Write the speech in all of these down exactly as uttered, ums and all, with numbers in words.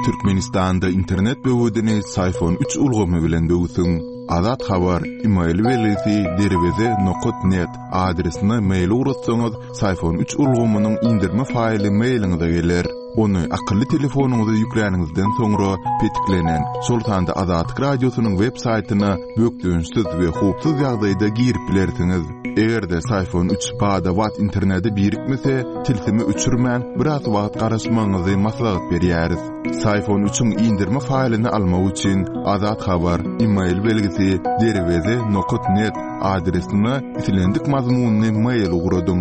Türkmenistanda internet böwedini Syfon üç ulgamy bilen böwsüň. Azat Habar, email belgisi derweze nokat net adresine mail ugratsaňyz, Syfon üç ulgamynyň indirme faýly mailiňize geler. Ony akylly telefonyňyza ýükläniňizden soňra petiklenen, şol sanda Azatlyk Radiosynyň web saýtyna bökdençsiz we howpsuz ýagdaýda girip bilersiňiz. Eger-de Syfon üç bada-bat internete birikmese, tilsimi öçürmän, biraz wagt garaşmagyňyzy maslahat berýäris. Syfon üçiň indirme faýlyny almak üçin Azat Habar, email belgisi derweze nokat net adresine islendik mazmunly mail ugradyň.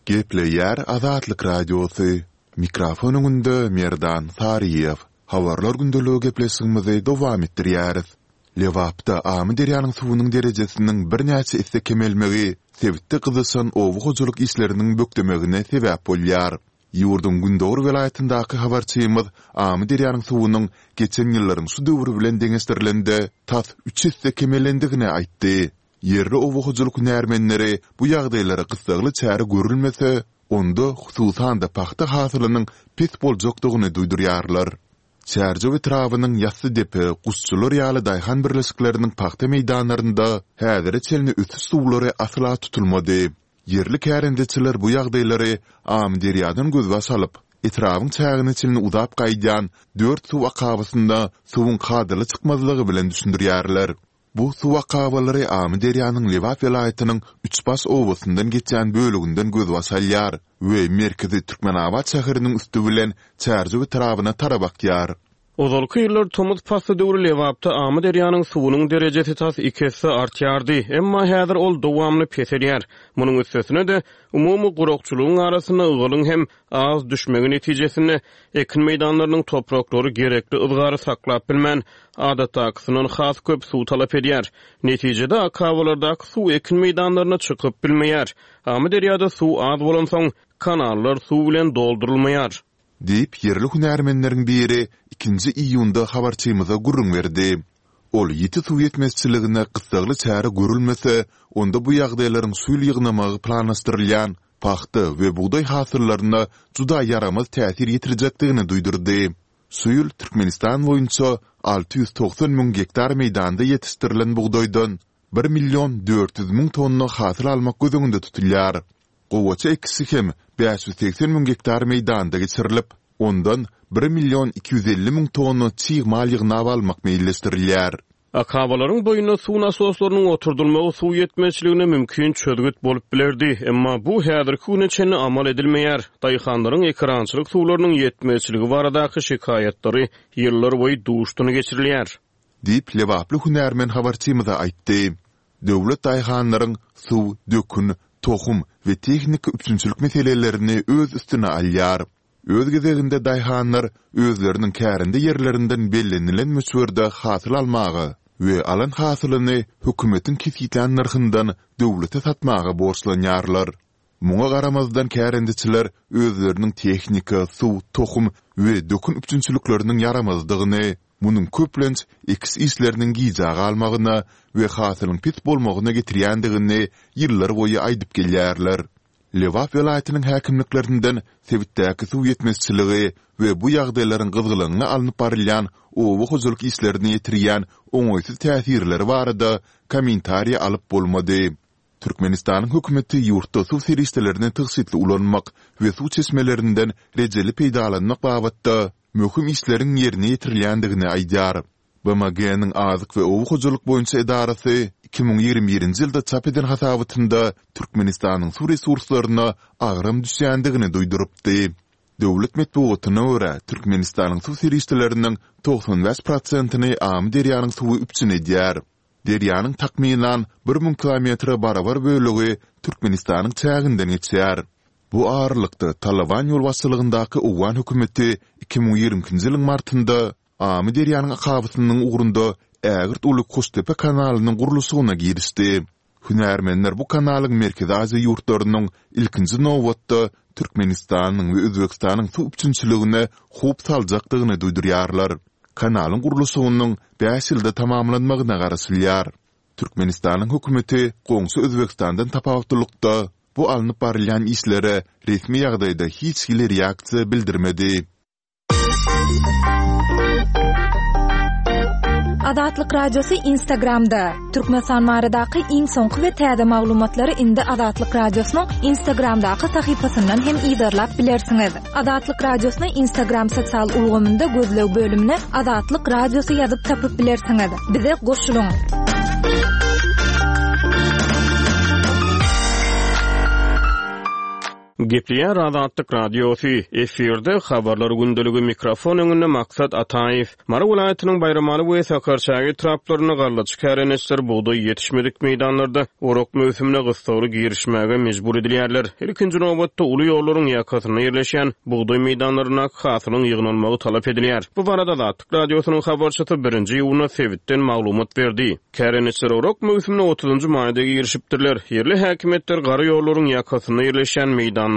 Gepleýär Azatlyk Radiosy. Mikrofon öňünde Merdan Saryýew. Habarlar gündeligi gepleşigimizi dowam etdirýäris. Lebapda Amyderýanyň suwunyň derejesiniň birnäçe esse kemelmegi sebitde gyzyşan oba hojalyk işleriniň bökdemegine sebäp bolýar. Ýurduň gündogar welaýatyndaky habarçymyz Amyderýanyň suwunyň geçen ýyllaryň şu döwri bilen deňeşdirilende tas üç esse kemelendigini aýtdy. Ýerli oba hojalyk hünärmenleri bu ýagdaýlara gyssagly çäre görülmese, onda hususan-da pagta hasylynyň pes boljakdygyny duýdurýarlar. Çärjew etrabynyň Ýassydepe, Guşçular ýaly daýhan birleşikleriniň pagta meýdanlarynda häzire çenli ösüş suwlary asla tutulmady. Ýerli kärendeçiler bu ýagdaýlary Amyderýadan gözbaş alyp, etrabyň çägine çenli uzap gaýdýan dört suw akabasynda suwuň kadaly çykmazlygy bilen düşündirýärler. Bu suw akabalary Amyderýanyň Lebap welaýatynyň Üçbaş obasyndan geçýän böleginden gözbaş alýar we merkezi Türkmenabat şäheriniň üsti bilen Çärjew etrabyna tarap akýar. Ozalky ýyllar tomus pasly döwri Lebapda Amyderýanyň suwunyň derejesi tas iki esse artýardy, emma häzir ol dowamly peselýär. Munuň üstesine-de, umumy gurakçylygyň arasynda ygalyň hem az düşmegi netijesinde ekin meýdanlarynyň topraklary gerekli yzgary saklap bilmän, adatdakysyndan has köp suw talap edýär. Netijede, akabalardaky suw ekin meýdanlaryna çykyp bilmeýär. Amyderýada suw az bolansoň, kanallar suw bilen doldurylmaýar. Diýip, ýerli hünärmenleriň biri ikinji iýunda habarçymyza gürrüň berdi. Ol ýiti suw ýetmezçiligine gyssagly çäre görülmese, onda bu ýagdaýlaryň şu ýyl ýygnamagy planlaşdyrylýan pagta we bugdaý hasyllaryna juda ýaramaz täsir ýetirjekdigini duýdurdy. Şu ýyl Türkmenistan boýunça alty ýüz togsan müň gektar meýdanda ýetişdirilen bugdaýdan bir million dört ýüz müň tonna hasyl almak göz öňünde tutulýar. Gowaça ekişi hem bäş ýüz segsen müň gektar meýdanda geçirilip, ondan bir million iki ýüz elli müň tonna çig mal ýygnap almak meýilleşdirilýär. Akabalaryň boýunda suw nasoslarynyň oturdylmagy suw ýetmezçiligine mümkin çözgüt bolup bilerdi, emma bu häzirki güne çenli amal edilmeýär. Daýhanlaryň ekerançylyk suwlarynyň ýetmezçiligi baradaky şikaýatlary ýyllarboýy duşdan geçirilýär. Diýip, lebaply hünärmen habarçymyza aýtdy. Döwlet daýhanlaryň suw, dökün, tohum we tehniki üpjünçilik meselelerini öz üstüne alýar. Öz gezeginde daýhanlar özleriniň kärende ýerlerinden bellenilen möçberde hasyl almaga we alan hasylyny hökümetiň kesgitlän nyrhyndan döwlete satmaga borçlanýarlar. Muňa garamazdan kärendeçiler özleriniň tehnika, suw, tohum we dökün üpjünçilikleriniň ýaramazdygyny, munuň köplenç ekiş işleriniň gijä galmagyna we hasylyň pes bolmagyna getirýändigini ýyllarboýy aýdyp gelýärler. Lebap welaýatynyň häkimliklerinden sebitdäki suw ýetmezçiligi we bu ýagdaýlaryň gyzgalaňly alnyp barylýan oba hojalyk işlerine ýetirýän oňaýsyz täsirleri barada kommentariý alyp bolmady. Türkmenistanyň hökümeti ýurtda suw serişdelerini tygşytly ulanmak we suw çeşmelerinden rejeli peýdalanmak babatda möhüm işleriň ýerine ýetirilýändigini aýdýar. B M G-niň Azyk we oba hojalyk boýunça edarasy iki müň ýigrimi birinji ýylda çap eden hasabatynda Türkmenistanyň suw resurslaryna agram düşýändigini duýdurypdy. Döwlet metbugatyna görä, Türkmenistanyň suw serişdeleriniň togsan bäş prosentini Amyderýanyň suwy üpjün edýär. Derýanyň takmynan bir müň kilometre barabar bölegi Türkmenistanyň çäginden geçýär. Bu aralykda, Talyban ýolbaşçylygyndaky owgan hökümeti iki müň ýigrimi ikinji ýylyň martynda Amyderýanyň akabasynyň ugrunda ägirt uly Koştepe kanalynyň gurluşygyna girişdi. Hünärmenler bu kanalyň Merkezi Aziýa ýurtlarynyň, ilkinji nobatda, Türkmenistanyň we Özbegistanyň suw üpjünçiligine howp saljakdygyny duýdurýarlar. Kanalyň gurluşygynyň bäş ýylda tamamlanmagyna garaşylýar. Türkmenistanyň hökümeti goňşy Özbegistandan tapawutlylykda, bu alnyp barylýan işlere resmi ýagdaýda hiç hili reaksiýa bildirmedi. Azatlyk Radiosy Instagramda. Türkmenistan baradaky iň soňky we täze maglumatlary indi Azatlyk Radiosynyň Instagramdaky sahypasyndan hem yzarlap bilersiňiz. Azatlyk Radiosyny Instagram sosial ulgamynda gözleg bölümine Azatlyk Radiosy ýazyp tapyp bilersiňiz. Bize goşulyň. Gepleýär Azatlyk Radiosy, efirde habarlar gündeligi, mikrofon öňünde Maksat Ataýew. Mary welaýatynyň Baýramaly we Sakarçäge etraplarynda gallaçy kärendeçiler bugdaý ýetişmedik meýdanlarda orak möwsümine gyssagly girişmäge mejbur edilýärler. Ilkinji nobatda uly ýollaryň ýakasynda ýerleşýän bugdaý meýdanlarynda hasylyň ýygnalmagy talap edilýär. Bu barada Azatlyk Radiosynyň habarçysy birinji iýunda sebitden maglumat berdi. Kärendeçiler orak möwsümine otuzynjy maýda girişipdirler. Ýerli häkimiýetler gara ýollaryň ýakasynda ýerleşýän meýdanlarda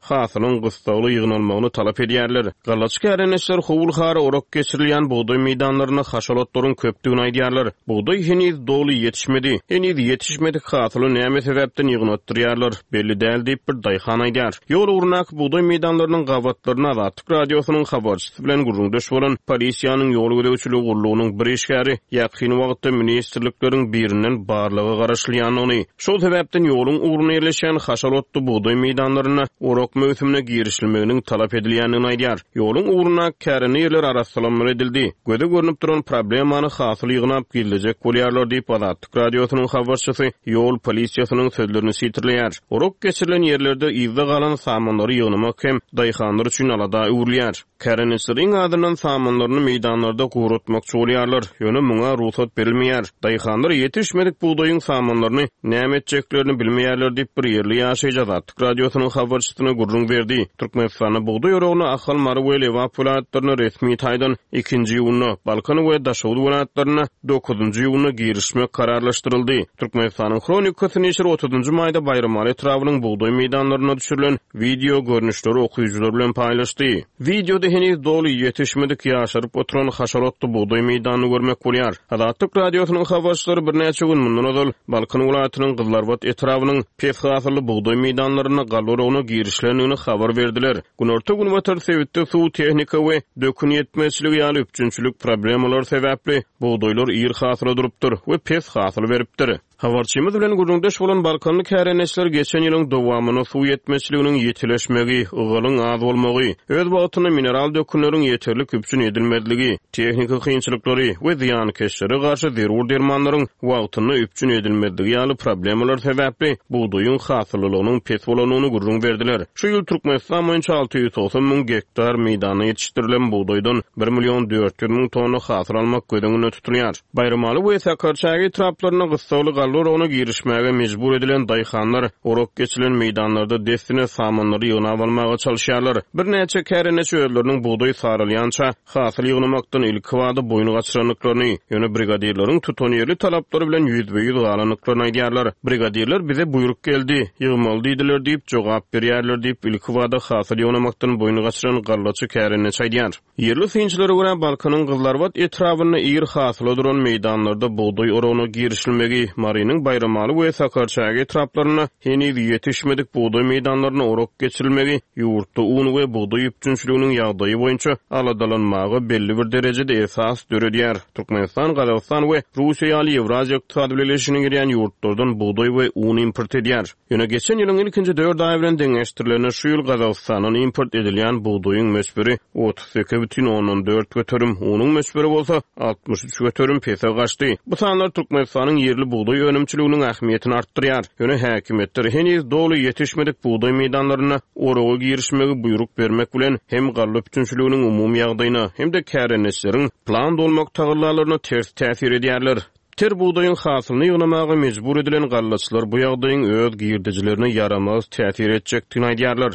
hasylyň gyssagly ýygnalmagyny talap edýärler. Gallaçy kärendeçiler howul-hara orak geçirilýän bugdaý meýdanlarynda haşalotlaryň köpdügini aýdýarlar. Bugdaý heniz doly ýetişmedi. Heniz ýetişmedik hasyly näme sebäpden ýygnatdyrýarlar belli däl diýip bir daýhan aýdýar. Ýol ugrundaky bugdaý meýdanlarynyň gabatlaryna Azatlyk Radiosynyň habarçysy bilen gürrüňdeş bolan polisiýanyň ýol gözegçiligi gullugynyň bir işgäri ýakyn wagtda ministrlikleriň birinden barlaga garaşylýandygyny, şol sebäpden ýoluň ugruna ýerleşýän haşalotly bugdaý meýdanlaryna orak möwsümine girişilmeginiň talap edilýändigini aýdýar. Ýoluň ugruna kärende ýerler arassalanmaly edildi. Göze görnüp duran problemany hasyl ýygnap gizlejek bolýarlar diýip Azatlyk Radiosynyň habarçysy ýol polisiýasynyň sözlerini sitirleýär. Orak geçirilen ýerlerde yzda galan samanlary ýygnamak hem daýhanlar üçin alada öwrülýär. Kärendeçileriň adyndan samanlaryny meýdanlarda guratmakçy bolýarlar. Ýöne muňa rugsat berilmeýär. Daýhanlar ýetişmedik bugdaýyň samanlaryny näme etjeklerini bilmeýärler diýip bir ýerli ýaşaýjy Azatlyk Radiosynyň habarçysyna gürrüň berdi. Türkmenistanda bugdaý oragyna Ahal, Mary we Lebap welaýatlaryna resmi taýdan ikinji iýunda, Balkan we Daşoguz welaýatlaryna dokuzynjy iýunda girişmek kararlaşdyryldy. Türkmenistanyň Hronikasy neşiri otuzynjy maýda Baýramaly etrabynyň bugdaý meýdanlaryna düşürilen wideo görnüşleri okyjylar bilen paýlaşdy. Wideoda heniz doly ýetişmedik ýaşaryp oturan haşalotly bugdaý meýdanyny görmek bolýar. Azatlyk Radiosynyň habarçylary birnäçe gün mundan ozal Balkan welaýatynyň Gyzlarbat etrabynyň pes hasylly bugdaý meýdanlaryna galla oragyna girişilendigini habar berdiler. Günorta günbatar sebitde suw, tehnika we dökün ýetmezçiligi ýaly üpjünçilik problemalar sebäpli bugdaýlar ir hasyla durupdyr we pes hasyl beripdir. Habarçymyz bilen gürrüňdeş bolan Balkanly kärendeçiler geçen ýylyň dowamynda suw ýetmezçiliginiň ýetileşmegi, ygalyň az bolmagy, öz wagtynda mineral dökünleriň ýeterlik üpjün edilmezligi, tehniki kynçylyklary we zyýankeşlere garşy zerur dermanlaryň wagtynda üpjün edilmezligi ýaly problemalar sebäpli bugdaýyň hasyllylygynyň pes bolandygyny gürrüň berdiler. Şu ýyl Türkmenistan boýunça alty ýüz togsan müň gektar meýdanda ýetişdirilen bugdaýdan bir million dört ýüz müň tonna hasyl almak göz öňünde tutulýar. Baýramaly we Sakarçäge etraplarynda gyssagly galla oragyna girişmäge mejbur edilen daýhanlar orak geçilen meýdanlarda dessine samanlary ýygnap almaga çalyşýarlar. Birnäçe kärendeçi özleriniň bugdaý saralýança hasyl ýygnamakdan ilkibada boýun gaçyrandyklaryny, ýöne brigadirleriň tutanýerli talaplary bilen ýüzbe-ýüz galandyklaryny aýdýarlar. Brigadirler bize buýruk geldi, ýygmaly diýdiler diýip jogap berýärler diýip ilkibada hasyl ýygnamakdan boýun gaçyran gallaçy kärendeçi aýdýar. Ýerli synçylara görä Balkanyň Gyzlarbat etrabynda ir hasyla duran meýdanlarda bugdaý oragyna girişilmegi, Marynyň Baýramaly we Sakarçäge etraplarynda heniz ýetişmedik bugdaý meýdanlaryna orak geçirilmegi ýurtda un we bugdaý üpjünçiliginiň ýagdaýy boýunça aladalanmaga belli bir derejede esas döredýär. Türkmenistan, Gazagystan we Russiýa ýaly Ýewraziýa Ykdysady Bileleşigine girýän ýurtlardan bugdaý we un import edýär. Ýöne geçen ýylyň ilkinji dört aýy bilen deňeşdirilende şu ýyl Gazagystandan import edilýän bugdaýyň möçberi otuz sekiz bütin ondan dört göterim, unuň möçberi bolsa altmyş üç göterim pese gaçdy. Bu sanlar Türkmenistanyň ýerli bugdaý önümçiliginiň ähmiýetini artdyrýar. Ýöne häkimiýetler heniz doly ýetişmedik bugdaý meýdanlaryna oraga girişmegi buýruk bermek bilen hem galla üpjünçiliginiň umumy ýagdaýyna hem-de kärendeçileriň plan dolmak tagallalaryna ters täsir edýärler. Ter bugdaýyň hasylyny ýygnamaga mejbur edilen gallaçylar bu ýagdaýyň öz girdejilerine ýaramaz täsir etjekdigini aýdýarlar.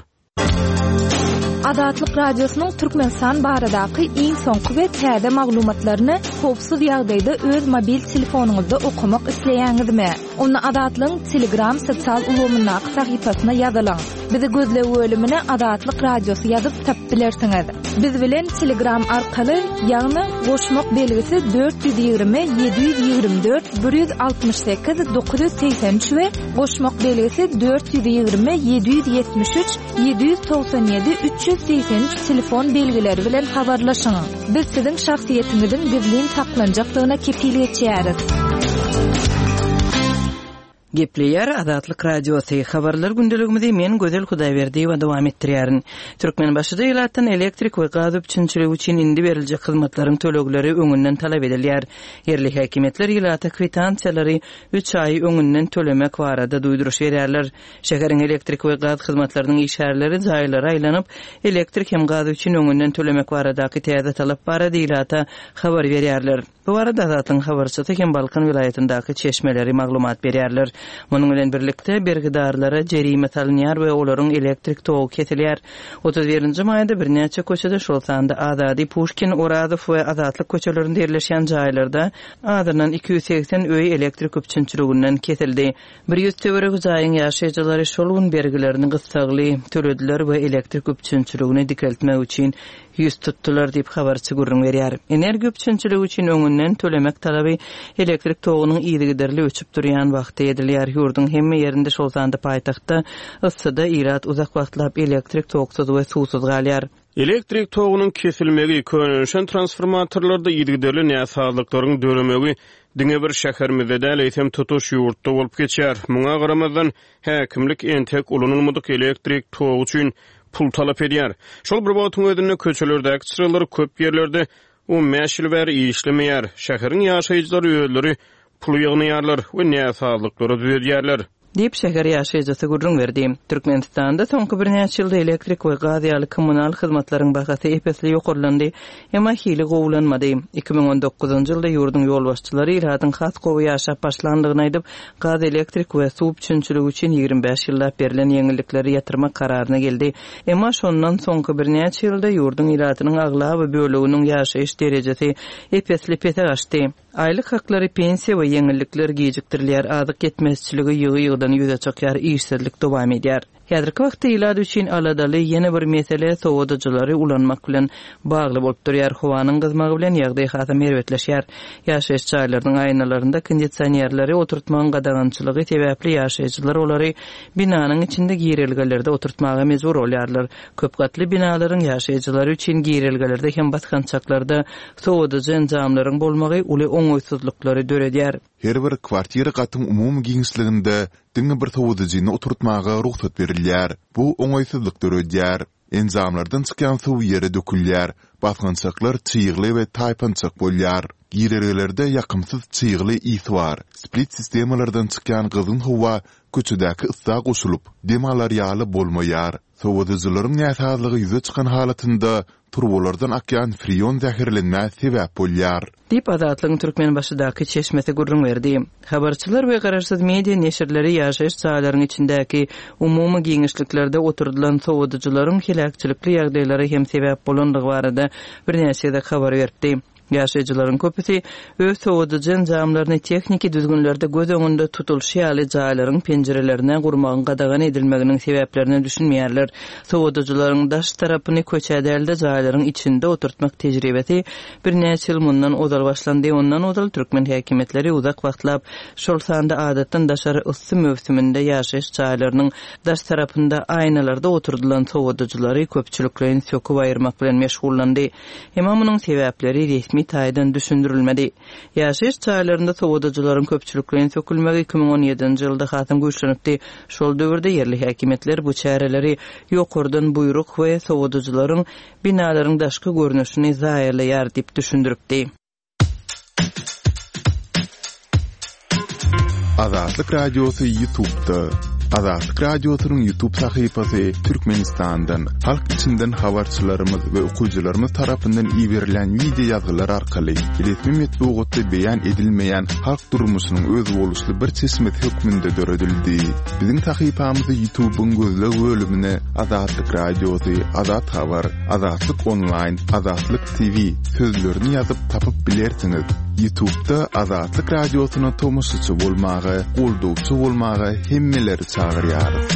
Azatlyk Radiosynyň Türkmenistan baradaky iň soňky we täze maglumatlaryny howpsuz ýagdaýda öz mobil telefonyňyzda okamak isleýäňizmi? Onda Azatlygyň Telegram sosial ulgamyndaky sahypasyna ýazylyň. Bizi gözleg bölümine Azatlyk Radiosy ýazyp tapyp bilersiňiz. Biz bilen Telegram arkaly, ýagny goşmak belgisi dört ýüz ýigrimi ýedi ýüz ýigrimi dört bir ýüz altmyş sekiz dokuz ýüz segsen üç we goşmak belgisi dört ýüz ýigrimi ýedi ýüz ýetmiş üç ýedi ýüz togsan ýedi üç ýüz segsen üç telefon belgileri bilen habarlaşyň. Biz siziň şahsyýetiňiziň gizlin saklanjakdygyna kepil geçýäris. Gepleýär Azatlyk Radiosy. Habarlar gündeligimizi men Gözel Hudaýberdiýewa dowam etdirýärin. Türkmenbaşyda ilatdan elektrik we gaz üpjünçiligi üçin indi beriljek hyzmatlaryň tölegleri öňünden talap edilýär. Ýerli häkimiýetler ilata kwitansiýalary üç aý öňünden tölemek barada duýduryş berýärler. Şäheriň elektrik we gaz hyzmatlarynyň işgärleri jaýlara aýlanyp, elektrik hem gaz üçin öňünden tölemek baradaky täze talap barada ilata habar berýärler. Bu barada Azatlygyň habarçysy hem Balkan welaýatyndaky çeşmeleri maglumat berýärler. Munuň bilen birlikde bergidarlara jerime salynýar we olaryň elektrik togy kesilýär. Otuz birinji maýda birnäçe köçede, şol sanda Azady, Puşkin, Orazow we Azatlyk köçelerinde ýerleşýän jaýlarda azyndan iki ýüz segsen öý elektrik üpjünçiliginden kesildi. Bir ýüz töweregi jaýyň ýaşaýjylary şol gün bergilerini gyssagly tölediler we elektrik üpjünçiligini dikeltmek üçin ýüz tutdular diýip habarçy gürrüň berýär. Energiýa üpjünçiligi üçin öňünden tölemek talaby elektrik togunyň yzygiderli öçüp durýan wagty edilýär. Ýurduň hemme ýerinde, şol sanda paýtagtda yssyda ilat uzak wagtlap elektrik toksuz we suwsuz galýar. Elektrik togunyň kesilmegi, könelişen transformatorlarda yzygiderli näsazlyklaryň döremegi diňe bir şäherimizde däl, eýsem tutuş ýurtda bolup geçýär. Muňa garamazdan häkimlik entek ulanylmadyk elektrik togy üçin pul talap edýär. Şol bir wagtyň özünde köçelerdäki çyralar köp ýerlerde on bäş ýyl bäri işlemeýär. Şäheriň ýaşaýjylary özleri pul ýygnaýarlar we näsazlyklary düzedýärler. Diýip şäher ýaşaýjysy gürrüň berdi. Türkmenistanda soňky birnäçe ýylda elektrik we gaz ýaly kommunal hyzmatlaryň bahasy epesli ýokarlandy, emma hili gowulanmady. Iki müň on dokuzynjy ýylda ýurduň ýolbaşçylary ilatyň has gowy ýaşap başlandygyny aýdyp, gaz, elektrik we suw üpjünçiligi üçin ýigrimi bäş ýyllap berlen ýeňillikleri ýatyrmak kararyna geldi. Emma şondan soňky birnäçe ýylda ýurduň ilatynyň aglaba böleginiň ýaşaýyş derejesi epesli pese gaçdy. Aýlyk haklary, pensiýa we ýeňillikler gijikdirilýär, azyk ýetmezçiligi ýygy-ýygydan ýüze çykýar, işsizlik dowam edýär. Häzirki wagtda ilat üçin aladaly ýene bir mesele sowadyjylary ulanmak bilen bagly bolup durýar. Howanyň gyzmagy bilen ýagdaý hasam erbetleşýär. Ýaşaýyş jaýlarynyň aýnalarynda kondisionerleri oturtmagyň gadagançylygy sebäpli ýaşaýjylar olary binanyň içinde girelgelerde oturtmaga mejbur bolýarlar. Köp gatly binalaryň ýaşaýjylary üçin girelgelerde hem basgançaklarda sowadyjy enjamlaryň bolmagy uly oňaýsyzlyklary döredýär. Her bir kwartira gatyň umumy giňişliginde diňe bir sowadyjyny oturtmaga rugsat berilýär. Bu oňaýsyzlyk döredýär. Enjamlardan çykýan suw ýere dökülýär. Basgançaklar çygly we taýpançak bolýar. Girelgelerde ýakymsyz çygly ys bar. Split sistemalardan çykýan gyzgyn howa köçedäki yssa goşulyp, dem alar ýaly bolmaýar. Sowadyjylaryň näsazlygy ýüze çykan halatynda turbalardan akýan freon zäherlenmä sebäp bolýar. Diýip Azatlygyň Türkmenbaşydaky çeşmesi gürrüň berdi. Habarçylar we garaşsyz media neşirleri ýaşaýyş jaýlaryň içindäki umumy giňişliklerde oturdylan sowadyjylaryň heläkçilikli ýagdaýlary hem sebäp bolandygy barada birnäçe gezek habar beripdi. Ýaşaýjylaryň köpüsi öz sowadyjy enjamlaryny tehniki düzgünlerde göz öňünde tutulyşy ýaly jaýlaryň penjirelerine gurmagyň gadagan edilmeginiň sebäplerine düşünmeýärler. Sowadyjylaryň daş tarapyny köçe dälde jaýlaryň içinde oturtmak tejribesi birnäçe ýyl mundan ozal başlandy. Ondan ozal türkmen häkimiýetleri uzak wagtlap, şol sanda adatdan daşary yssy möwsüminde ýaşaýyş jaýlarynyň daş tarapynda aýnalarda oturdylan sowadyjylary köpçülikleýin söküp aýyrmak bilen meşgullandy. Emma munuň sebäpleri resmi taýdan düşündirilmedi. Ýaşaýyş jaýlarynda sowadyjylaryň köpçülikleýin sökülmegi iki müň on ýedinji ýylda hasam güýçlenipdi. Şol döwürde ýerli häkimiýetler bu çäreleri ýokardan buýruk we sowadyjylaryň binalaryň daşky görnüşini zaýalaýar diýip düşündiripdi. Azatlyk Radiosy YouTube'da. Azatlyk Radiosynyň YouTube sahypasy Türkmenistandan, halk içinden habarçylarymyz we okyjylarymyz tarapyndan iberilen video ýazgylar arkaly resmi metbugatda beýan edilmeýän halk durmuşynyň özboluşly bir çeşmesi hökmünde döredildi. Biziň sahypamyzy YouTube'yň gözleg bölümine Azatlyk Radiosy, Azat Habar, Azatlyk Online, Azatlyk T V sözlerini ýazyp tapyp bilersiňiz. YouTube'da Azatlyk Radiosyna tomaşaçy bolmaga, goldawçy bolmaga hemmeleri çagyrýarys.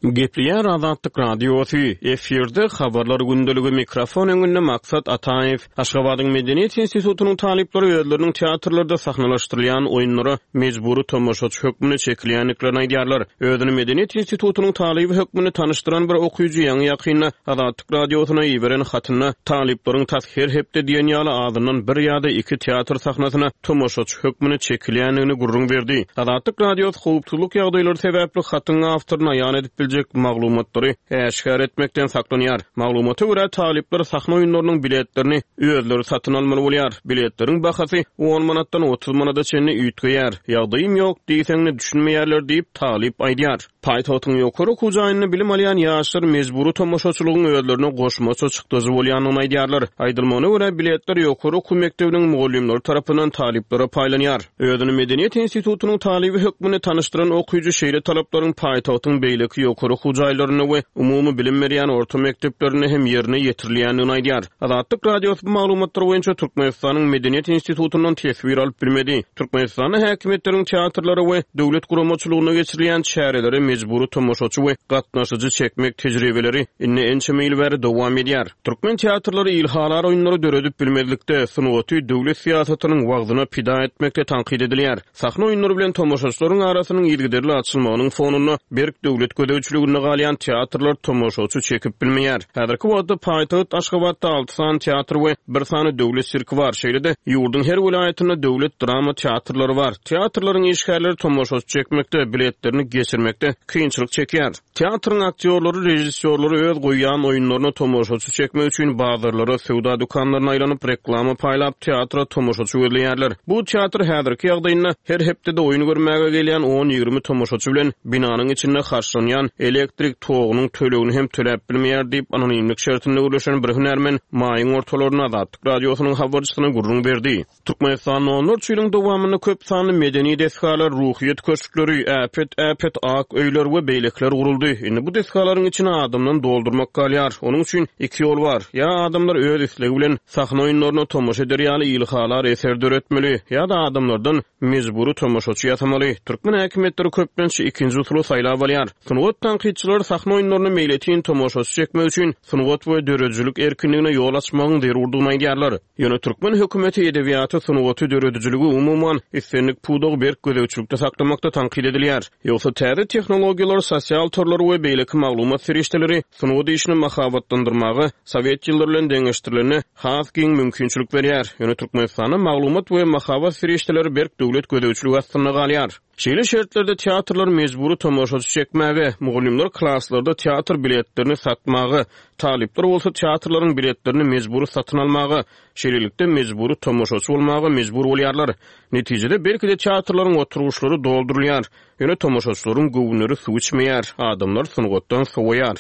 Gepleýär Azatlyk Radiosy, efirde habarlar gündeligi mikrofon öňünde Maksat Ataýew. Aşgabadyň Medeniýet institutynyň talyplary özleriniň teatrlarda sahnalaşdyrylýan oýunlara mejbury tomaşaçy hökmünde çekilýändiklerini aýdýarlar. Özüni Medeniýet institutynyň talyby hökmünde tanyşdyran bir okyjy ýaňy-ýakynda Azatlyk Radiosyna iberen hatynda talyplaryň tas her hepde diýen ýaly azyndan bir ýa-da iki teatr sahnasyna tomaşaçy hökmünde çekilýändigini gürrüň berdi. Azatlyk Radiosy howpsuzlyk ýagdaýlary sebäpli hatyň awtoryny aýan edip biljek maglumatlary äşgär etmekden saklanýar. Maglumata görä, talyplar sahna oýunlarynyň biletlerini özleri satyn almaly bolýar. Biletleriň bahasy on manatdan otuz manada çenli üýtgeýär. Ýagdaýym ýok diýseň-de düşünmeýärler diýip, talyp aýdýar. Paýtagtyň ýokary okuw jaýynda bilim alýan ýaşlar mejbury tomaşaçylygyň özlerine goşmaça çykdajy bolýandygyny aýdýarlar. Aýdylmagyna görä, biletler ýokary okuw mekdebiniň mugallymlary tarapyndan talyplara paýlanýar. Özüni Medeniýet institutynyň talyby hökmünde tanyşdyran okyjy şeýle talaplaryň paýtagtyň beýleki ýokary okuw jaýlarynda we umumy bilim berýän orta mekdeplerinde hem ýerine ýetirilýändigini aýdýar. Azatlyk Radiosy bu maglumatlar boýunça Türkmenistanyň Medeniýet institutyndan teswir alyp bilmedi. Türkmenistanda häkimiýetleriň teatrlara we döwlet guramaçylygynda geçirilýän çärelere mejbury tomaşaçy we gatnaşyjy çekmek tejribeleri indi ençeme ýyl bäri dowam edýär. Türkmen teatrlary ilhalar oýunlary döredip bilmezlikde, sungaty döwlet syýasatynyň wagzyna pida etmekde tankyt edilýär. Sahna oýunlary bilen tomaşaçylaryň arasynyň yzygiderli açylmagynyň fonunda berk döwlet gözegçiliginde galýan teatrlar tomaşaçy çekip bilmeýär. Häzirki wagtda paýtagt Aşgabatda alty sany teatr we bir sany döwlet sirki bar. Şeýle-de ýurduň her welaýatynda döwlet drama teatrlary bar. Teatrlaryň işgärleri tomaşaçy çekmekde, biletlerini geçirmekde kynçylyk çekýär. Teatryň aktýorlary, režissýorlary öz goýýan oýunlaryna tomaşaçy çekmek üçin bazarlara, söwda dükanlaryna aýlanyp, reklama paýlap, teatra tomaşaçy gözleýärler. Bu teatr häzirki ýagdaýynda her hepdede oýun görmäge gelýän on-ýigrimi tomaşaçy bilen binanyň içinde harçlanýan elektrik togunyň tölegini hem töläp bilmeýär diýip, anonimlik şertinde gürleşen bir hünärmen maýyň ortalarynda Azatlyk Radiosynyň habarçysyna gürrüň berdi. Türkmenistanda onlarça ýylyň dowamynda köp sanly medeni desgalar, ruhyýet köşkleri, äpet-äpet ak öýler we beýlekiler guruldy. Indi bu desgalaryň içini adamdan doldurmak galýar. Onuň üçin iki ýol bar. Ýa adamlar öz islegi bilen sahna oýunlaryna tomaşa eder ýaly ilhalar eser döretmeli, ýa-da adamlardan mejbury tomaşaçy ýasamaly. Türkmen häkimiýetleri köplenç ikinji usuly saýlap alýar. Sungat tankytçylary sahna oýunlaryna meýletin tomaşaçy çekmek üçin sungat we döredijilik erkinligine ýol açmagyň zerurdygyny aýdýarlar. Ýöne türkmen hökümeti edebiýaty, sungaty, döredijiligi umuman islendik pudagy berk gözegçilikde saklamakda tankyt edilýär. Ýogsa täze tehnologiýalar, sosial torlar we beýleki maglumat serişdeleri sungat işini mahabatlandyrmaga sowet ýyllary bilen deňeşdirilende has giň mümkinçilik berýär. Ýöne Türkmenistanda maglumat we mahabat serişdeleri berk döwlet gözegçiligi astynda galýar. Şeýle şertlerde teatrlar mejbury tomaşaçy çekmäge, mugallymlar klaslarda teatr biletlerini satmaga, talyplar bolsa teatrlaryň biletlerini mejbury satyn almaga, şeýlelikde mejbury tomaşaçy bolmaga mejbur bolýarlar. Netijede belki-de teatrlaryň oturgyçlary doldurylýar, ýöne tomaşaçylaryň göwünleri suw içmeýär, adamlar sungatdan sowaýar.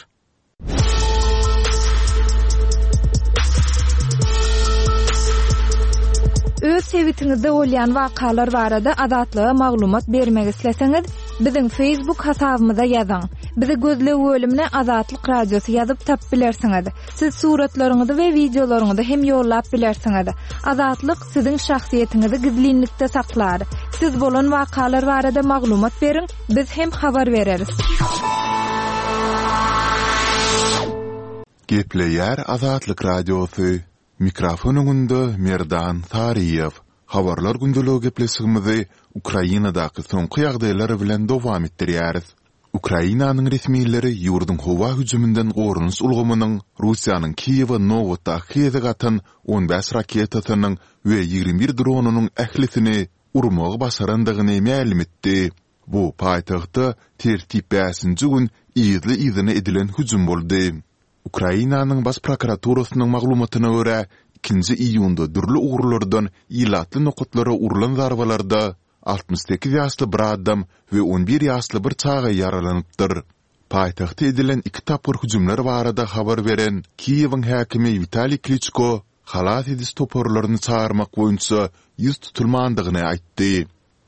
Öz sebitiňizde bolýan wakalar barada Azatlyga maglumat bermek isleseňiz, biziň Facebook hasabymyza ýazyň. Bizi gözleg bölümine Azatlyk Radiosy ýazyp tap bilersiňiz. Siz suratlaryňyzy we wideolaryňyzy hem ýollap bilersiňiz. Azatlyk siziň şahsyýetiňizi gizlinlikde saklar. Siz bolan wakalar barada maglumat beriň, biz hem habar bereris. Gepleýär Azatlyk Radiosy. Mikrofon öňünde Merdan Saryýew. Habarlar gündeligi gepleşigimizi Ukrainadaky soňky ýagdaýlar bilen dowam etdirýäris. Ukrainanyň resmileri ýurduň howa hüjüminden goranyş ulgamynyň Russiýanyň Kiýewe nobatdaky gezek atan on bäş raketasynyň we ýigrimi bir dronynyň ählisini urmagy başarandygyny mälim etdi. Bu paýtagtda tertip bäşinji gün yzly-yzyna edilen hüjüm boldy. Ukrainanyň baş prokuraturasynyň maglumatyna görä, ikinji iýunda dürli ugurlardan ilatly nokatlara urlan zarbalarda altmyş sekiz ýaşly bir adam we on bir ýaşly bir çaga ýaralanypdyr. Paýtagta edilen iki tapgyr hüjümler barada habar beren Kiýewiň häkimi Witaliý Kliçko halas ediş toparlaryny çagyrmak boýunça ýüz tutulmandygyny aýtdy.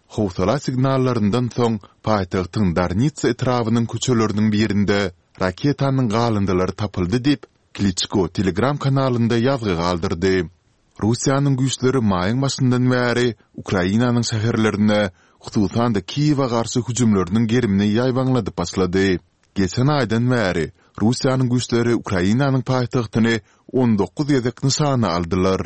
Howsala signallaryndan soň paýtagtyň Darnitsa etrabynyň köçeleriniň birinde raketanyň galyndylary tapyldy diýip, Kliçko Telegram kanalynda ýazgy galdyrdy. Russiýanyň güýçleri maýyň başyndan bäri Ukrainanyň şäherlerine, hususan-da Kiýewe garşy hüjümleriniň gerimini ýaýbaňladyp başlady. Geçen aýdan bäri Russiýanyň güýçleri Ukrainanyň paýtagtyny on dokuz gezek nyşana aldylar.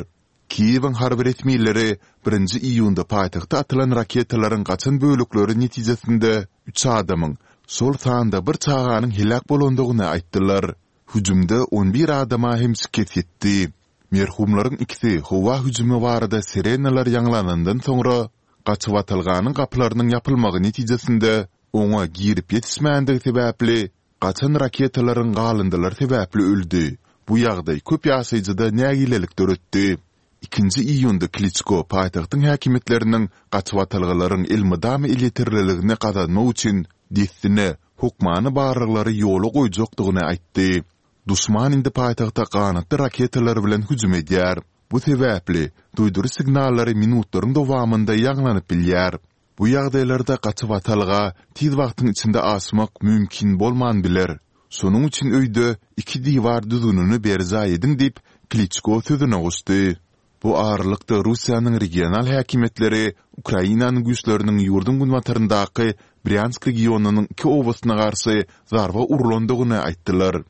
Kiýewiň harby resmileri birinji iýunda paýtagta atylan raketalaryň gaçan bölekleri netijesinde üç adamyň, şol sanda bir çaganyň heläk bolandygyny aýtdylar. Hüjümde on bir adama hem şikes ýetdi. Merhumlaryň ikisi howa hüjümi barada sirenalar ýaňlanandan soňra, gaçybatalganyň gapylarynyň ýapylmagy netijesinde oňa girip ýetişmändigi sebäpli, gaçan raketalaryň galyndylary sebäpli öldi. Bu ýagdaý köp ýaşaýjyda nägilelik döretdi. Ikinji iýunda Kliçko paýtagtyň häkimiýetleriniň gaçybatalgalaryň elmydama elýeterliligini gazanmak üçin dessine hökmany barlaglary ýola goýjakdygyny aýtdy. Duşman indi paýtagta ganatly raketalar bilen hüjüm edýär. Bu sebäpli duýduryş signallary minutlaryň dowamynda ýaňlanyp bilýär. Bu ýagdaýlarda gaçybatalga tiz wagtyň içinde aşmak mümkin bolman biler. Şonuň üçin öýde iki diwar düzgünini berjaý ediň diýip, Kliçko sözüne goşdy. Bu aralykda Russiýanyň regional häkimiýetleri Ukrainanyň güýçleriniň ýurduň günbataryndaky Brýansk regionynyň iki obasyna garşy zarba urlandygyny aýtdylar.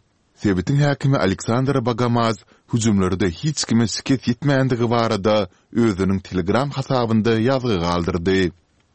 Sebitiň häkimi Aleksandr Bogomaz hüjümlerde hiç kime şikes ýetmändigi barada özüniň Telegram hasabynda ýazgy galdyrdy.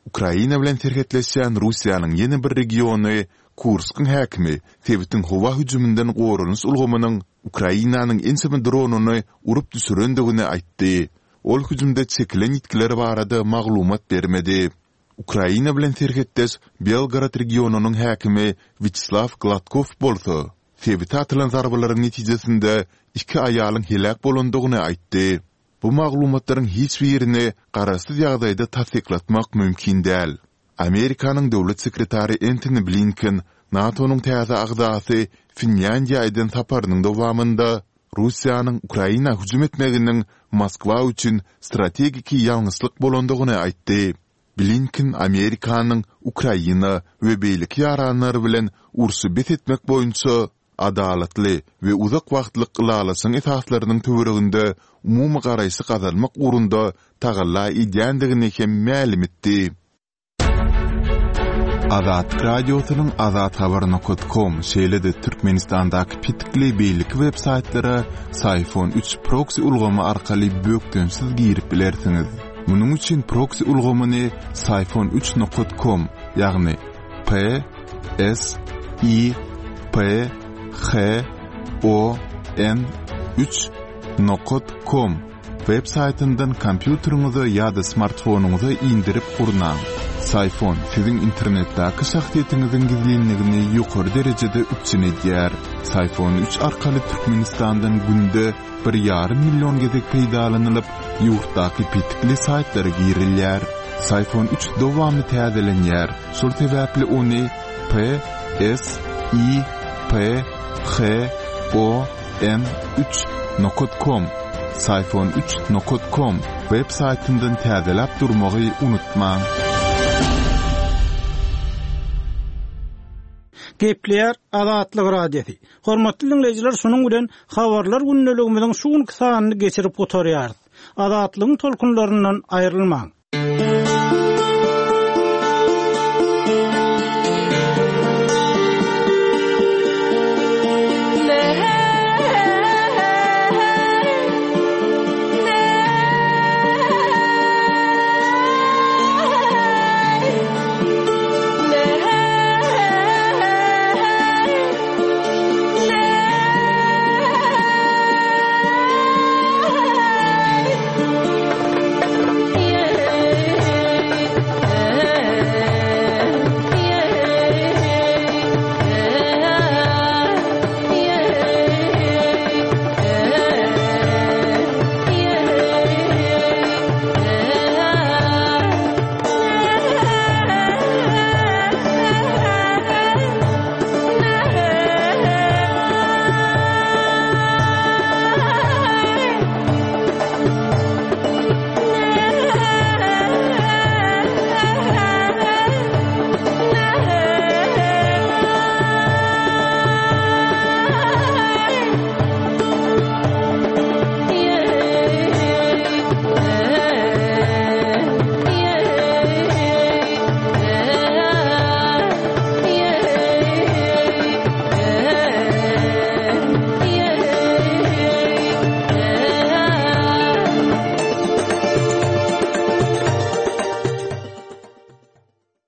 Ukraina bilen serhetleşýän Russiýanyň ýene bir regiony Kurskyň häkimi sebitiň howa hüjüminden goranyş ulgamynyň Ukrainanyň ençeme dronyny urup düşürendigini aýtdy. Ol hüjümde çekilen ýitgiler barada maglumat bermedi. Ukraina bilen serhetdeş Belgorod regionynyň häkimi Wýaçeslaw Gladkow bolsa, sebite atylan zarbalaryň netijesinde iki aýalyň heläk bolandygyny aýtdy. Bu maglumatlaryň hiç birini garaşsyz ýagdaýda tassyklatmak mümkin däl. Amerikanyň döwlet sekretary Entoni Blinken NATO-nyň täze agzasy Finlýandiýa eden saparynyň dowamynda Russiýanyň Ukraina hüjüm etmeginiň Moskwa üçin strategiki ýalňyşlyk bolandygyny aýtdy. Blinken Amerikanyň Ukraina we beýleki ýaranlary bilen urşy bes etmek boýunça adalatly we uzak wagtlyk ylalaşygyň esaslarynyň töwereginde umumy garaýşy gazanmak ugrunda tagalla edýändigini hem mälim etdi. Azatlyk Radiosynyň Azathabar nokat kom, şeýle-de Türkmenistandaky petikli beýleki web saýtlara Syfon üç proksi ulgamy arkaly bökdençsiz girip bilersiňiz. Munuň üçin proksi ulgamyny Syfon üç nokat kom, ýagny P S I P H O N üç nokat kom web saýtyndan kompýuteriňize ýa-da smartfonyňyza indirip gurnaň. Syfon siziň internetdäki şahsyýetiňiziň gizlinligini ýokary derejede üpjün edýär. Syfon üç arkaly Türkmenistandan günde bir ýarym million gezek peýdalanylyp, ýurtdaky petikli saýtlara girilýär. Syfon üç dowamly täzelenýär, şol sebäpli ony P S I P H O N üç nokat kom, Syfon üç nokat kom web saýtyndan täzeläp durmagy unutmaň. Gepleýär Azatlyk Radiosy. Hormatly dinleýjiler, şunuň bilen habarlar gündeligimiziň şu günki sanyny geçirip gutarýarys. Azatlygyň tolkunlaryndan aýrylmaň.